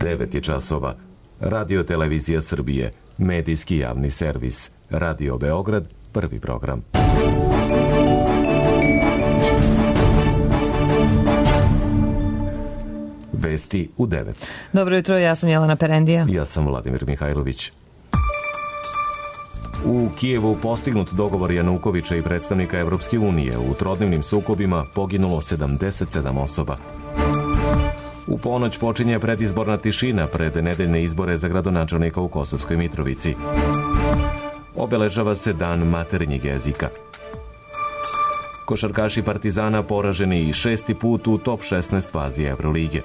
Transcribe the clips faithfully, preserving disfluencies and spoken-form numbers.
devet je časova. Radio Televizija Srbije, medijski javni servis. Radio Beograd, prvi program. Vesti u devet. Dobro jutro, ja sam Jelena Perendija. Ja sam Vladimir Mihajlović. U Kijevu postignut dogovor Janukovića i predstavnika Evropske unije. U trodnevnim sukobima poginulo sedamdeset sedam osoba. U ponoć počinje predizborna tišina pred nedeljne izbore za gradonačelnika u Kosovskoj Mitrovici. Obeležava se dan maternjeg jezika. Košarkaši Partizana poraženi i šesti put u top šesnaest fazi Evrolige.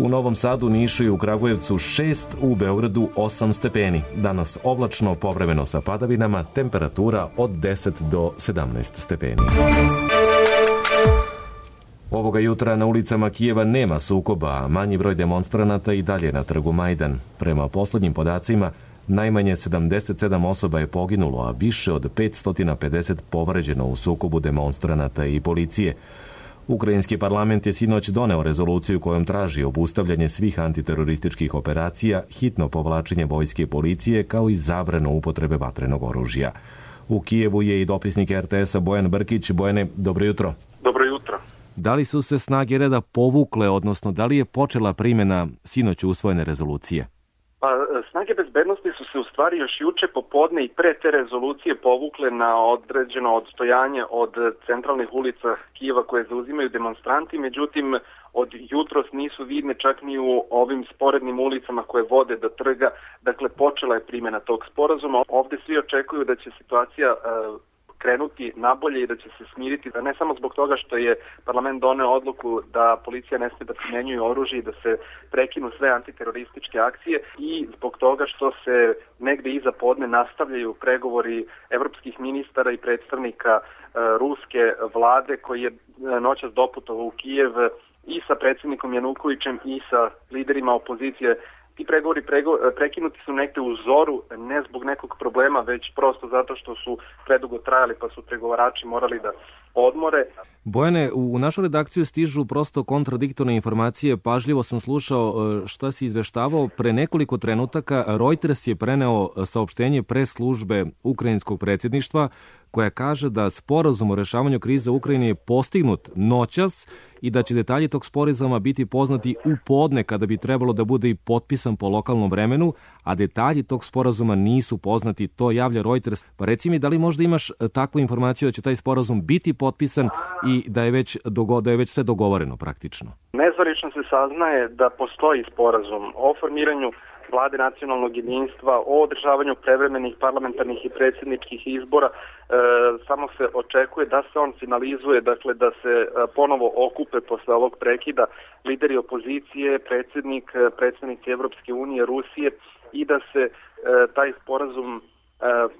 U Novom Sadu, Nišu i u Kragujevcu šest, u Beogradu osam stepeni. Danas oblačno, povremeno sa padavinama, temperatura od deset do sedamnaest stepeni. Ovoga jutra na ulicama Kijeva nema sukoba, a manji broj demonstranata i dalje na trgu Majdan. Prema poslednjim podacima, najmanje sedamdeset sedam osoba je poginulo, a više od petsto pedeset povređeno u sukobu demonstranata i policije. Ukrajinski parlament je sinoć doneo rezoluciju kojom traži obustavljanje svih antiterorističkih operacija, hitno povlačenje vojske i policije, kao i zabranu upotrebe vatrenog oružja. U Kijevu je i dopisnik er te esa Bojan Brkić. Bojane, dobro jutro. Dobro jutro. Da li su se snage reda povukle, odnosno da li je počela primjena sinoć usvojene rezolucije? Pa, snage bezbednosti su se u stvari još juče popodne i pre te rezolucije povukle na određeno odstojanje od centralnih ulica Kijeva koje zauzimaju demonstranti, međutim od jutros nisu vidne čak ni u ovim sporednim ulicama koje vode do trga, dakle počela je primjena tog sporazuma. Ovde svi očekuju da će situacija uh, krenuti nabolje i da će se smiriti, ne samo zbog toga što je parlament doneo odluku da policija ne sme da primjenjuje oružje i da se prekinu sve antiterorističke akcije, i zbog toga što se negde iza podne nastavljaju pregovori evropskih ministara i predstavnika uh, ruske vlade koji je noćas doputovao u Kijev i sa predsjednikom Janukovićem i sa liderima opozicije. Ti pregovori prego, prekinuti su negde u zoru, ne zbog nekog problema, već prosto zato što su predugo trajali, pa su pregovarači morali da odmore. Bojane, u našu redakciju stižu prosto kontradiktorne informacije. Pažljivo sam slušao šta si izveštavao. Pre nekoliko trenutaka Reuters je preneo saopštenje pres službe ukrajinskog predsjedništva koja kaže da sporazum o rešavanju krize u Ukrajini je postignut noćas i da će detalji tog sporazuma biti poznati u podne kada bi trebalo da bude i potpisan po lokalnom vremenu, a detalji tog sporazuma nisu poznati, to javlja Reuters. Pa reci mi, da li možda imaš takvu informaciju da će taj sporazum biti potpisan i da je već, dogo, da je već sve dogovoreno praktično? Nezvanično se saznaje da postoji sporazum o formiranju Vlade nacionalnog jedinstva, o održavanju prevremenih parlamentarnih i predsjedničkih izbora. E, samo se očekuje da se on finalizuje, dakle da se e, ponovo okupe posle ovog prekida lideri opozicije, predsjednik, predsjednici Evropske unije, Rusije, i da se e, taj sporazum e,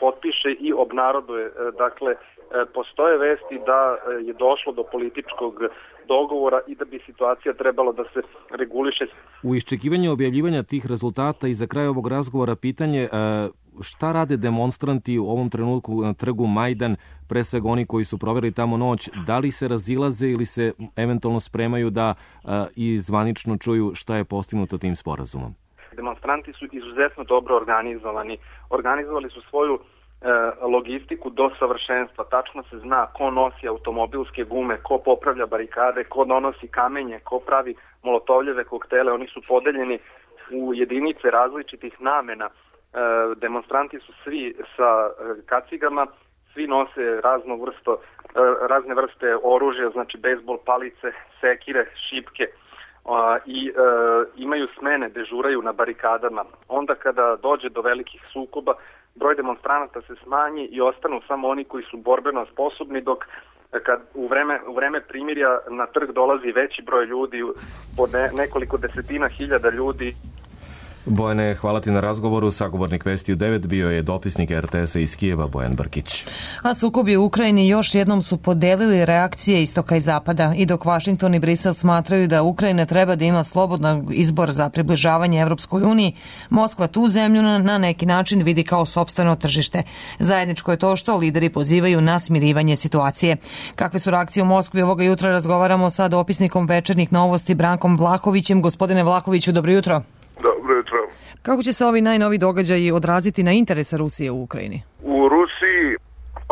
potpiše i obnaroduje. E, dakle, e, postoje vesti da je došlo do političkog dogovora i da bi situacija trebalo da se reguliše. U iščekivanju objavljivanja tih rezultata i za kraj ovog razgovora pitanje šta rade demonstranti u ovom trenutku na trgu Majdan, pre svega oni koji su proveli tamo noć, da li se razilaze ili se eventualno spremaju da i zvanično čuju šta je postignuto tim sporazumom? Demonstranti su izuzetno dobro organizovani. Organizovali su svoju logistiku do savršenstva. Tačno se zna ko nosi automobilske gume, ko popravlja barikade, ko donosi kamenje, ko pravi molotovljeve koktele. Oni su podeljeni u jedinice različitih namena. Demonstranti su svi sa kacigama, svi nose razno vrsto, razne vrste oružja, znači bejsbol palice, sekire, šipke, i imaju smene, dežuraju na barikadama. Onda kada dođe do velikih sukoba, broj demonstranata se smanji i ostanu samo oni koji su borbeno sposobni, dok kad u vreme, u vreme primirja na trg dolazi veći broj ljudi, po ne, nekoliko desetina hiljada ljudi. Bojane, hvala ti na razgovoru. Sagovornik Vesti u devet bio je dopisnik er te esa iz Kijeva Bojan Brkić. A sukobi u Ukrajini još jednom su podelili reakcije istoka i zapada. I dok Vašington i Brisel smatraju da Ukrajina treba da ima slobodan izbor za približavanje Evropskoj uniji, Moskva tu zemlju na, na neki način vidi kao sopstveno tržište. Zajedničko je to što lideri pozivaju na smirivanje situacije. Kakve su reakcije u Moskvi ovoga jutra, razgovaramo sa dopisnikom Večernjih novosti Brankom Vlahovićem. Gospodine Vlahoviću, dobro jutro. Dobro jutro. Kako će se ovi najnovi događaji odraziti na interese Rusije u Ukrajini? U Rusiji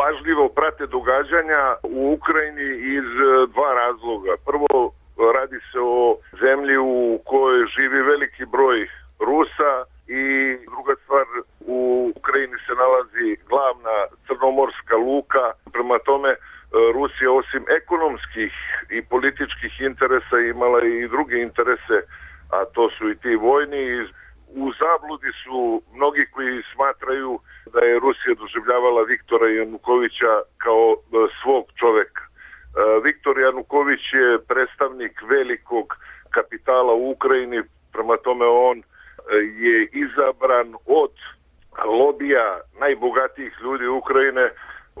pažljivo prate događanja u Ukrajini iz dva razloga. Prvo, radi se o zemlji u kojoj živi veliki broj Rusa i druga stvar, u Ukrajini se nalazi glavna crnomorska luka. Prema tome, Rusija osim ekonomskih i političkih interesa imala i druge interese, a to su i ti vojni. U zabludi su mnogi koji smatraju da je Rusija doživljavala Viktora Janukovića kao svog čoveka. Viktor Januković je predstavnik velikog kapitala u Ukrajini, prema tome on je izabran od lobija najbogatijih ljudi Ukrajine.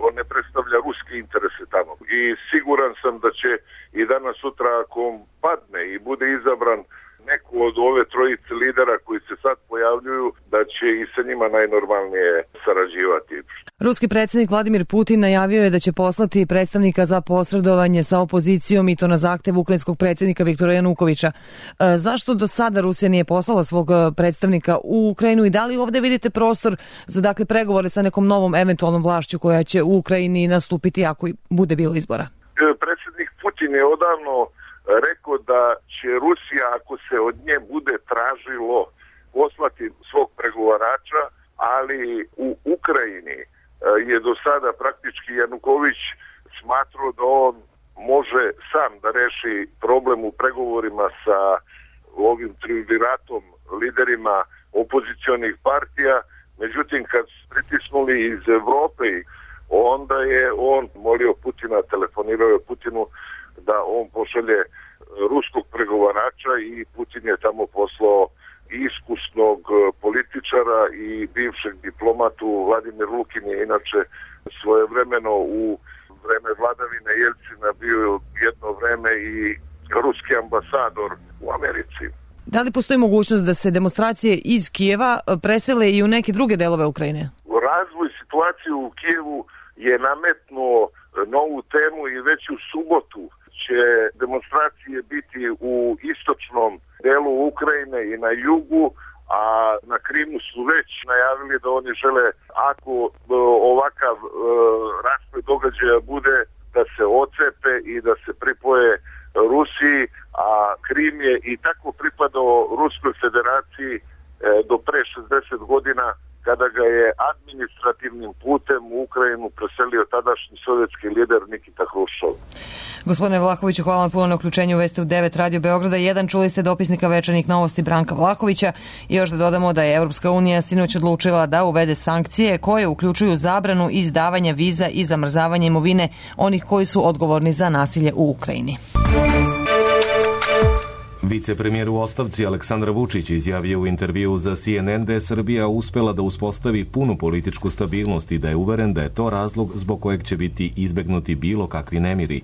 On ne predstavlja ruske interese tamo. I siguran sam da će i danas sutra, ako on padne i bude izabran neko od ove trojice lidera koji se sad pojavljuju, da će i sa njima najnormalnije sarađivati. Ruski predsjednik Vladimir Putin najavio je da će poslati predstavnika za posredovanje sa opozicijom i to na zahtev ukrajinskog predsjednika Viktora Janukovića. E, zašto do sada Rusija nije poslala svog predstavnika u Ukrajinu i da li ovdje vidite prostor za dakle pregovore sa nekom novom eventualnom vlašću koja će u Ukrajini nastupiti ako bude bilo izbora? E, predsjednik Putin je odavno rekao da će Rusija, ako se od nje bude tražilo, poslati svog pregovarača, ali u Ukrajini je do sada praktički Januković smatrao da on može sam da reši problem u pregovorima sa ovim triumviratom liderima opozicionih partija. Međutim, kad su pritisnuli iz Evrope, onda je on molio Putina, telefonirao je Putinu da on pošalje ruskog pregovarača i Putin je tamo poslao iskusnog političara i bivšeg diplomatu. Vladimir Lukin je inače svojevremeno u vreme vladavine Jelcina bio jedno vreme i ruski ambasador u Americi. Da li postoji mogućnost da se demonstracije iz Kijeva presele i u neke druge delove Ukrajine? Razvoj situacije u Kijevu je nametnuo novu temu i već u subotu će demonstracije biti u istočnom delu Ukrajine i na jugu, a na Krimu su već najavili da oni žele, ako ovakav e, rasplet događaja bude, da se ocepe i da se pripoje Rusiji, a Krim je i tako pripadao Ruskoj federaciji e, do pre šezdeset godina, kada ga je administrativnim putem u Ukrajinu preselio tadašnji sovjetski lider Nikita Hruščov. Gospodine Vlahoviću, hvala vam puno na uključenju u Vesti u devet Radio Beograda. Jedan, čuli ste dopisnika Večernjih novosti Branka Vlahovića. I još da dodamo da je Evropska unija sinoć odlučila da uvede sankcije koje uključuju zabranu izdavanja viza i zamrzavanje imovine onih koji su odgovorni za nasilje u Ukrajini. Vicepremijer u ostavci Aleksandar Vučić izjavio u intervju za C N N da je Srbija uspela da uspostavi punu političku stabilnost i da je uveren da je to razlog zbog kojeg će biti izbegnuti bilo kakvi nemiri.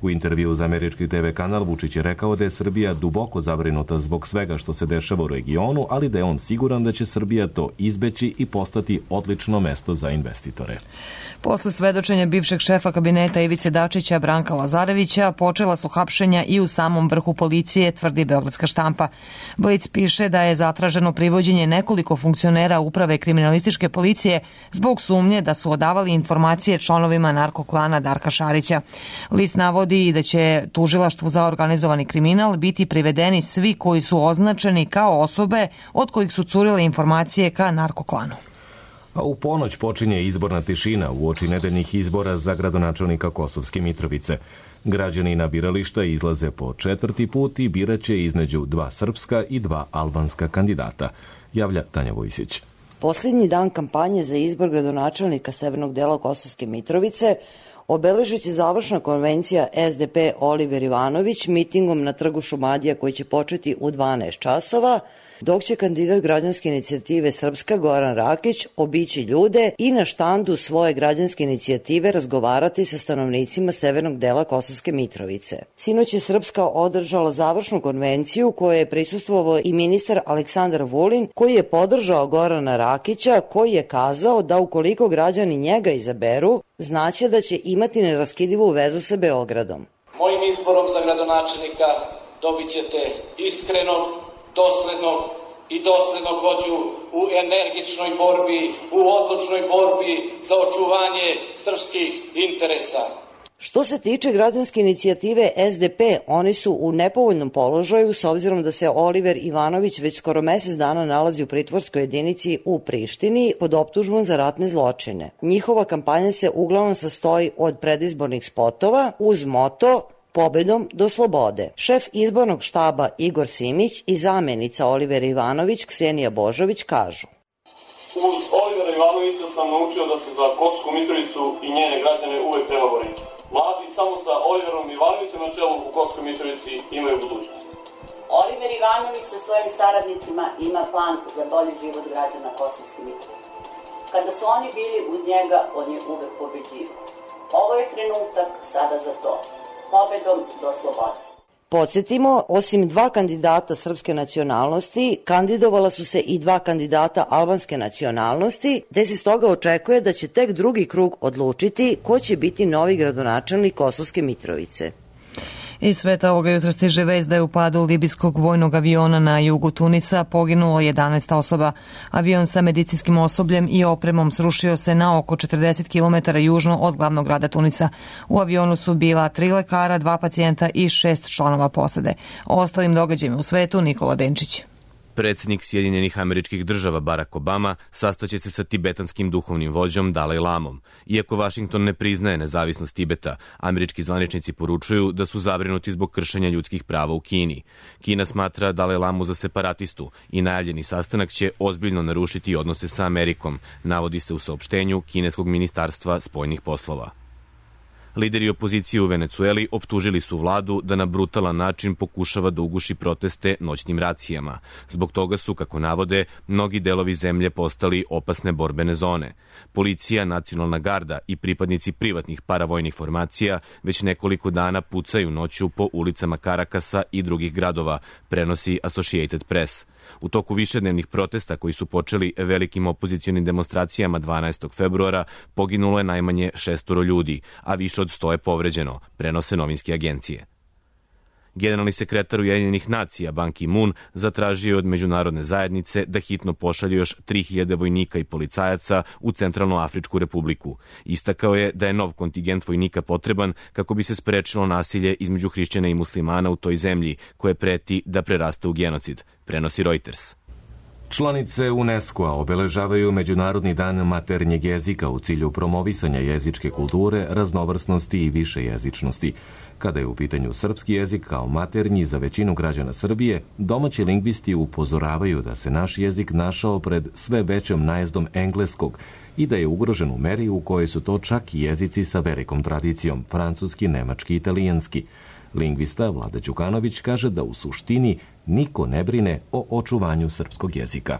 U intervju za američki te ve kanal Vučić je rekao da je Srbija duboko zabrinuta zbog svega što se dešava u regionu, ali da je on siguran da će Srbija to izbeći i postati odlično mesto za investitore. Posle svedočenja bivšeg šefa kabineta Ivice Dačića Branka Lazarevića počela su hapšenja i u samom vrhu policije, tvrdi Beogradska štampa. Blic piše da je zatraženo privođenje nekoliko funkcionera uprave kriminalističke policije zbog sumnje da su odavali informacije članovima narkoklana Darka Šarića. List navodi i da će tužilaštvu za organizovani kriminal biti privedeni svi koji su označeni kao osobe od kojih su curile informacije ka narkoklanu. A u ponoć počinje izborna tišina uoči nedeljnih izbora za gradonačelnika Kosovske Mitrovice. Građani na birališta izlaze po četvrti put i biraće između dva srpska i dva albanska kandidata, javlja Tanja Vojsić. Posljednji dan kampanje za izbor gradonačelnika severnog dela Kosovske Mitrovice obeležit će završna konvencija S D P Oliver Ivanović mitingom na trgu Šumadija koji će početi u dvanaest časova, dok će kandidat građanske inicijative Srpska Goran Rakić obići ljude i na štandu svoje građanske inicijative razgovarati sa stanovnicima severnog dela Kosovske Mitrovice. Sinoć je Srpska održala završnu konvenciju kojoj je prisustvovao i ministar Aleksandar Vulin, koji je podržao Gorana Rakića, koji je kazao da ukoliko građani njega izaberu, znaće da će imati neraskidivu vezu sa Beogradom. Mojim izborom za gradonačelnika dobit ćete iskrenog, doslednog i doslednog vođu u energičnoj borbi, u odlučnoj borbi za očuvanje srpskih interesa. Što se tiče građanske inicijative S D P, oni su u nepovoljnom položaju s obzirom da se Oliver Ivanović već skoro mesec dana nalazi u pritvorskoj jedinici u Prištini pod optužbom za ratne zločine. Njihova kampanja se uglavnom sastoji od predizbornih spotova uz moto pobedom do slobode. Šef izbornog štaba Igor Simić i zamenica Olivera Ivanović Ksenija Božović kažu: Uz Olivera Ivanovića sam naučio da se za Kosovsku Mitrovicu i njene građane uvek treba boriti. Mladi samo sa Oliverom Ivanovićem na čelu u Kosovskoj Mitrovici imaju budućnost. Oliver Ivanović sa svojim saradnicima ima plan za bolji život građana Kosovske Mitrovice. Kada su oni bili uz njega, on je uvek pobeđivao. Ovo je trenutak sada za to. Pobedom do slobode. Podsjetimo, osim dva kandidata srpske nacionalnosti, kandidovala su se i dva kandidata albanske nacionalnosti, te se stoga očekuje da će tek drugi krug odlučiti ko će biti novi gradonačelnik Kosovske Mitrovice. Iz sveta ovoga jutra stiže vest da je u padu libijskog vojnog aviona na jugu Tunisa poginulo jedanaest osoba. Avion sa medicinskim osobljem i opremom srušio se na oko četrdeset kilometara južno od glavnog grada Tunisa. U avionu su bila tri lekara, dva pacijenta i šest članova posade. O ostalim događajima u svetu Nikola Denčić. Predsjednik Sjedinjenih Američkih Država Barack Obama sastaće se sa tibetanskim duhovnim vođom Dalaj Lamom. Iako Vašington ne priznaje nezavisnost Tibeta, američki zvaničnici poručuju da su zabrinuti zbog kršenja ljudskih prava u Kini. Kina smatra Dalaj Lamu za separatistu i najavljeni sastanak će ozbiljno narušiti odnose sa Amerikom, navodi se u saopštenju kineskog ministarstva spoljnih poslova. Lideri opozicije u Venecueli optužili su vladu da na brutalan način pokušava da uguši proteste noćnim racijama. Zbog toga su, kako navode, mnogi delovi zemlje postali opasne borbene zone. Policija, nacionalna garda i pripadnici privatnih paravojnih formacija već nekoliko dana pucaju noću po ulicama Karakasa i drugih gradova, prenosi Associated Press. U toku višednevnih protesta koji su počeli velikim opozicionim demonstracijama dvanaestog februara poginulo je najmanje šestoro ljudi, a više od sto je povređeno, prenose novinske agencije. Generalni sekretar Ujedinjenih nacija Ban Ki-moon zatražio je od međunarodne zajednice da hitno pošalje još tri hiljade vojnika i policajaca u Centralnoafričku republiku. Istakao je da je nov kontingent vojnika potreban kako bi se sprečilo nasilje između hrišćana i muslimana u toj zemlji, koje preti da preraste u genocid, prenosi Reuters. Članice UNESCO-a obeležavaju Međunarodni dan maternjeg jezika u cilju promovisanja jezičke kulture, raznovrsnosti i višejezičnosti. Kada je u pitanju srpski jezik kao maternji za većinu građana Srbije, domaći lingvisti upozoravaju da se naš jezik našao pred sve većom najezdom engleskog i da je ugrožen u meri u kojoj su to čak i jezici sa velikom tradicijom, francuski, nemački i italijanski. Lingvista Vlada Đukanović kaže da u suštini niko ne brine o očuvanju srpskog jezika.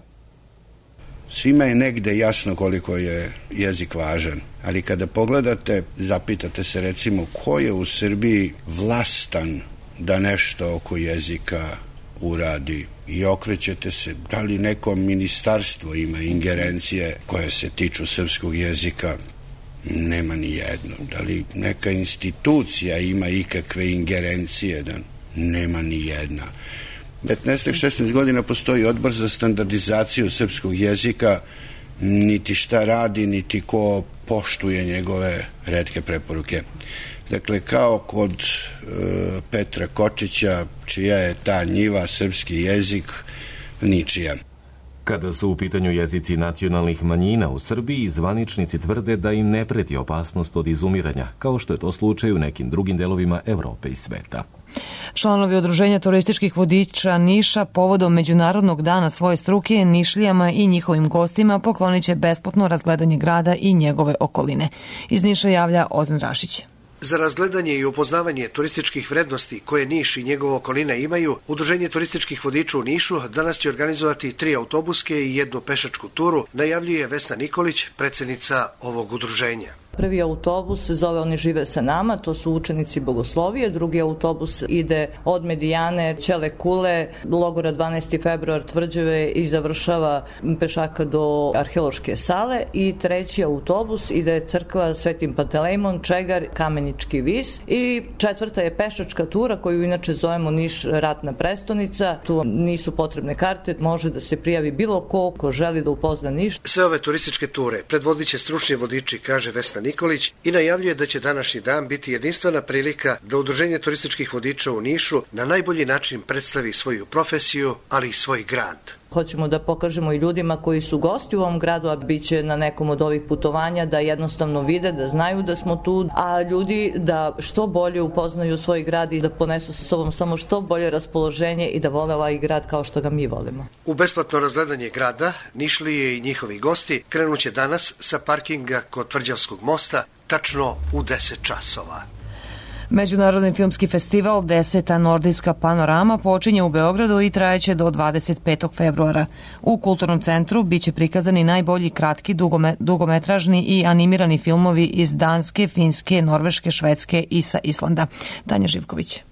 Svima je negde jasno koliko je jezik važan, ali kada pogledate, zapitate se recimo ko je u Srbiji vlastan da nešto oko jezika uradi i okrećete se da li neko ministarstvo ima ingerencije koje se tiču srpskog jezika. Nema ni jedno. Da li neka institucija ima ikakve ingerencije? Da nema ni jedna. petnaest šesnaest godina postoji odbor za standardizaciju srpskog jezika, niti šta radi, niti ko poštuje njegove retke preporuke. Dakle, kao kod e, Petra Kočića, čija je ta njiva srpski jezik, ničija. Kada su u pitanju jezici nacionalnih manjina u Srbiji, zvaničnici tvrde da im ne preti opasnost od izumiranja, kao što je to slučaj u nekim drugim delovima Evrope i sveta. Članovi Udruženja turističkih vodiča Niša povodom Međunarodnog dana svoje struke Nišlijama i njihovim gostima poklonit će besplatno razgledanje grada i njegove okoline. Iz Niša javlja Ozan Rašić. Za razgledanje i upoznavanje turističkih vrednosti koje Niš i njegova okolina imaju, Udruženje turističkih vodiča u Nišu danas će organizovati tri autobuske i jednu pešačku turu, najavljuje Vesna Nikolić, predsednica ovog udruženja. Prvi autobus se zove Oni žive sa nama, to su učenici Bogoslovije, drugi autobus ide od Medijane, Ćele Kule, logora dvanaesti februar Tvrđave i završava pešaka do arheološke sale i treći autobus ide crkva Svetim Pantelejmon, Čegar, Kamenički vis i četvrta je pešačka tura koju inače zovemo Niš ratna prestonica. Tu nisu potrebne karte, može da se prijavi bilo ko ko želi da upozna Niš. Sve ove turističke ture predvodit će stručni vodiči, kaže Vesna Nikolić, i najavljuje da će današnji dan biti jedinstvena prilika da Udruženje turističkih vodiča u Nišu na najbolji način predstavi svoju profesiju, ali i svoj grad. Hoćemo da pokažemo i ljudima koji su gosti u ovom gradu, a bit će na nekom od ovih putovanja, da jednostavno vide, da znaju da smo tu, a ljudi da što bolje upoznaju svoj grad i da ponesu sa sobom samo što bolje raspoloženje i da vole ovaj grad kao što ga mi volimo. U besplatno razgledanje grada Nišlije i njihovi gosti krenuće danas sa parkinga kod Tvrđavskog mosta tačno u deset časova. Međunarodni filmski festival Deseta nordijska panorama počinje u Beogradu i trajeće do dvadeset petog februara. U Kulturnom centru biće prikazani najbolji kratki, dugome, dugometražni i animirani filmovi iz Danske, Finske, Norveške, Švedske i sa Islanda. Tanja Živković.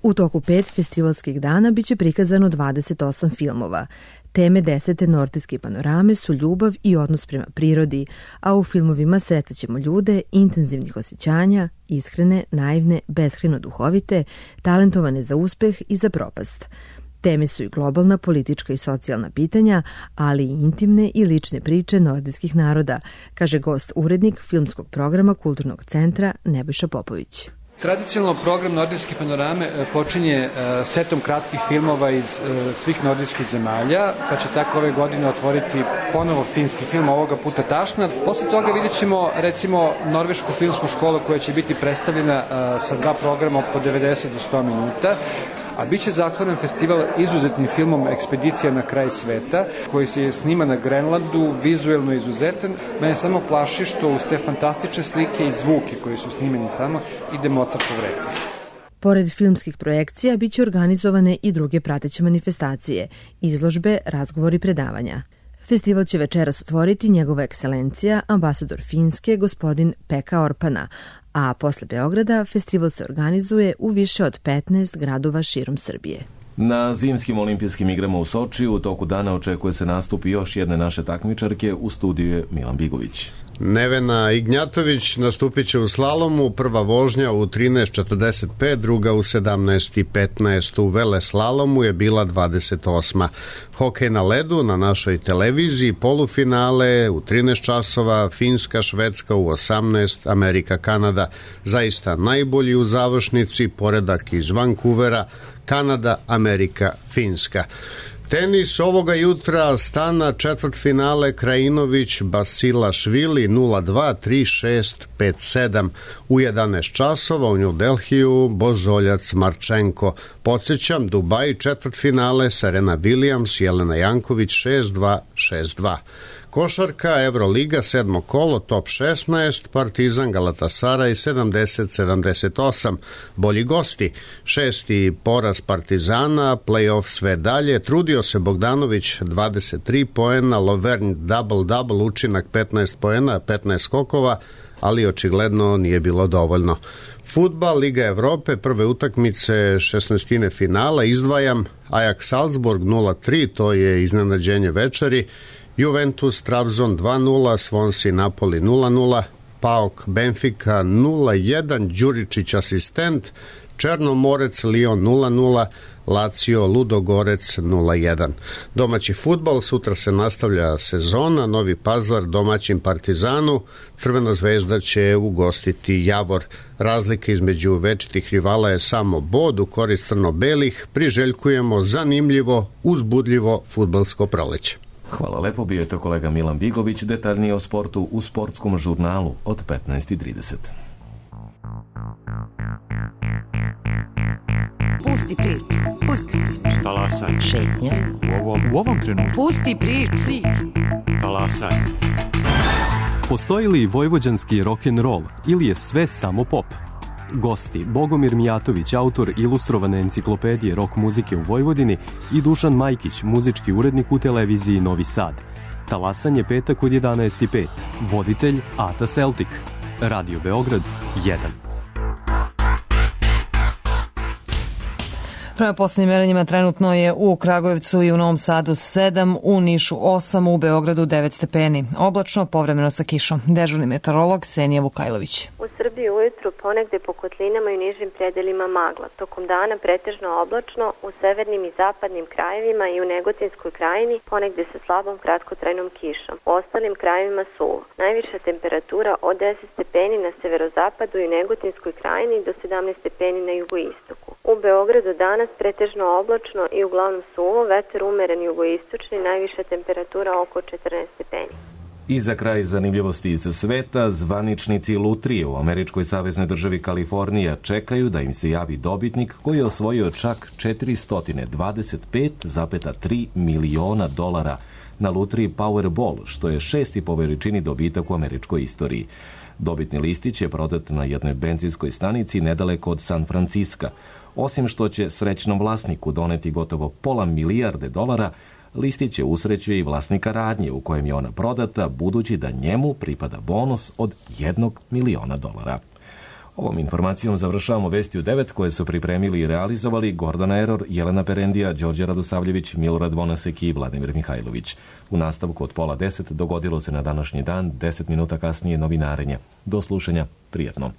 U toku pet festivalskih dana biće prikazano dvadeset osam filmova. Teme desete nordijske panorame su ljubav i odnos prema prirodi, a u filmovima sretaćemo ljude intenzivnih osjećanja, iskrene, naivne, beskrajno duhovite, talentovane za uspeh i za propast. Teme su i globalna, politička i socijalna pitanja, ali i intimne i lične priče nordijskih naroda, kaže gost urednik filmskog programa Kulturnog centra Nebojša Popović. Tradicionalno program Nordijske panorame počinje setom kratkih filmova iz svih nordijskih zemalja, pa će tako ove godine otvoriti ponovo finski film, ovoga puta Tašna. Posle toga vidjet ćemo recimo norvešku filmsku školu koja će biti predstavljena sa dva programa po devedeset do sto minuta. A bit će zatvoren festival izuzetnim filmom Ekspedicija na kraj sveta, koji se snima na Grenlandu, vizuelno izuzetan. Mene samo plaši što uz te fantastične slike i zvuke koji su snimeni tamo ide Mozartov rekvijem. Pored filmskih projekcija biće organizovane i druge prateće manifestacije, izložbe, razgovori i predavanja. Festival će večeras otvoriti njegova ekscelencija, ambasador Finske, gospodin Pekka Orpana, a posle Beograda festival se organizuje u više od petnaest gradova širom Srbije. Na zimskim olimpijskim igrama u Sočiju u toku dana očekuje se nastup još jedne naše takmičarke, u studiju je Milan Bigović. Nevena Ignjatović nastupit će u slalomu, prva vožnja u trinaest četrdeset pet, druga u sedamnaest petnaest. U veleslalomu je bila dvadeset osma. Hokej na ledu na našoj televiziji, polufinale u trinaest časova, Finska, Švedska u osamnaest, Amerika, Kanada. Zaista najbolji u završnici, poredak iz Vancouvera, Kanada, Amerika, Finska. Tenis ovoga jutra, Stana, četvrtfinale, Krajinović, Basilašvili, nula dva, tri šest, pet sedam. U jedanaest časova u New Delhiju, Bozoljac, Marčenko. Podsjećam, Dubaj, četvrtfinale, Serena Williams, Jelena Janković, šest dva, šest dva. Košarka, Evroliga, sedmo kolo, top šesnaest, Partizan, Galatasaraj, sedamdeset sedamdeset osam. Bolji gosti, šesti poraz Partizana, play-off sve dalje, trudio se Bogdanović, dvadeset tri poena, Lovern double-double, učinak petnaest poena, petnaest skokova, ali očigledno nije bilo dovoljno. Fudbal, Liga Evrope, prve utakmice šesnaestine finala, izdvajam Ajax Salzburg nula tri, to je iznenađenje večeri, Juventus, Trabzon dva nula, Swansea, Napoli nula nula, Paok, Benfica nula jedan, Đuričić asistent, Černomorec, Lyon nula nula, Lazio, Ludogorec nula jedan. Domaći fudbal, sutra se nastavlja sezona, Novi Pazar domaćin Partizanu, Crvena zvezda će ugostiti Javor. Razlika između večitih rivala je samo bod u korist crno-belih, priželjkujemo zanimljivo, uzbudljivo fudbalsko proleće. Hvala lepo, bio je to kolega Milan Bigović, detaljnije o sportu u sportskom žurnalu od petnaest i trideset. Pusti priču. Pusti priču. Talasanje. Šetnja. U ovom, u ovom trenutku. Pusti priču. Talasanje. Postoji li vojvođanski rock'n'roll ili je sve samo pop? Gosti Bogomir Mijatović, autor ilustrovane enciklopedije rock muzike u Vojvodini, i Dušan Majkić, muzički urednik u televiziji Novi Sad. Talasanje petak od jedanaest i pet. Voditelj Aca Celtic. Radio Beograd jedan. Prema poslednjim merenjima trenutno je u Kragujevcu i u Novom Sadu sedam, u Nišu osam, u Beogradu devet stepeni. Oblačno, povremeno sa kišom. Dežurni meteorolog Ksenija Vukajlović. U Srbiji ujutru ponegde po kotlinama i nižim predelima magla. Tokom dana pretežno oblačno, u severnim i zapadnim krajevima i u Negotinskoj krajini ponegde sa slabom kratkotrajnom kišom. U ostalim krajevima suvo. Najviša temperatura od deset stepeni na severozapadu i Negotinskoj krajini do sedamnaest stepeni na jugoistoku. U Beogradu danas pretežno oblačno i uglavnom suvo, vetar umeren jugoistočni, najviša temperatura oko četrnaest stepeni. I za kraj zanimljivosti iz sveta, zvaničnici lutrije u američkoj saveznoj državi Kalifornija čekaju da im se javi dobitnik koji je osvojio čak četiristo dvadeset pet zarez tri miliona dolara na lutriji Powerball, što je šesti po veličini dobitak u američkoj istoriji. Dobitni listić je prodat na jednoj benzinskoj stanici nedaleko od San Franciska. Osim što će srećnom vlasniku doneti gotovo pola milijarde dolara, listić je usrećuje i vlasnika radnje u kojem je ona prodata, budući da njemu pripada bonus od jednog miliona dolara. Ovom informacijom završavamo Vesti u devet koje su pripremili i realizovali Gordana Eror, Jelena Perendija, Đorđe Radosavljević, Milorad Vonasek i Vladimir Mihajlović. U nastavku od pola deset dogodilo se na današnji dan, deset minuta kasnije novinarenje. Do slušanja, prijetno.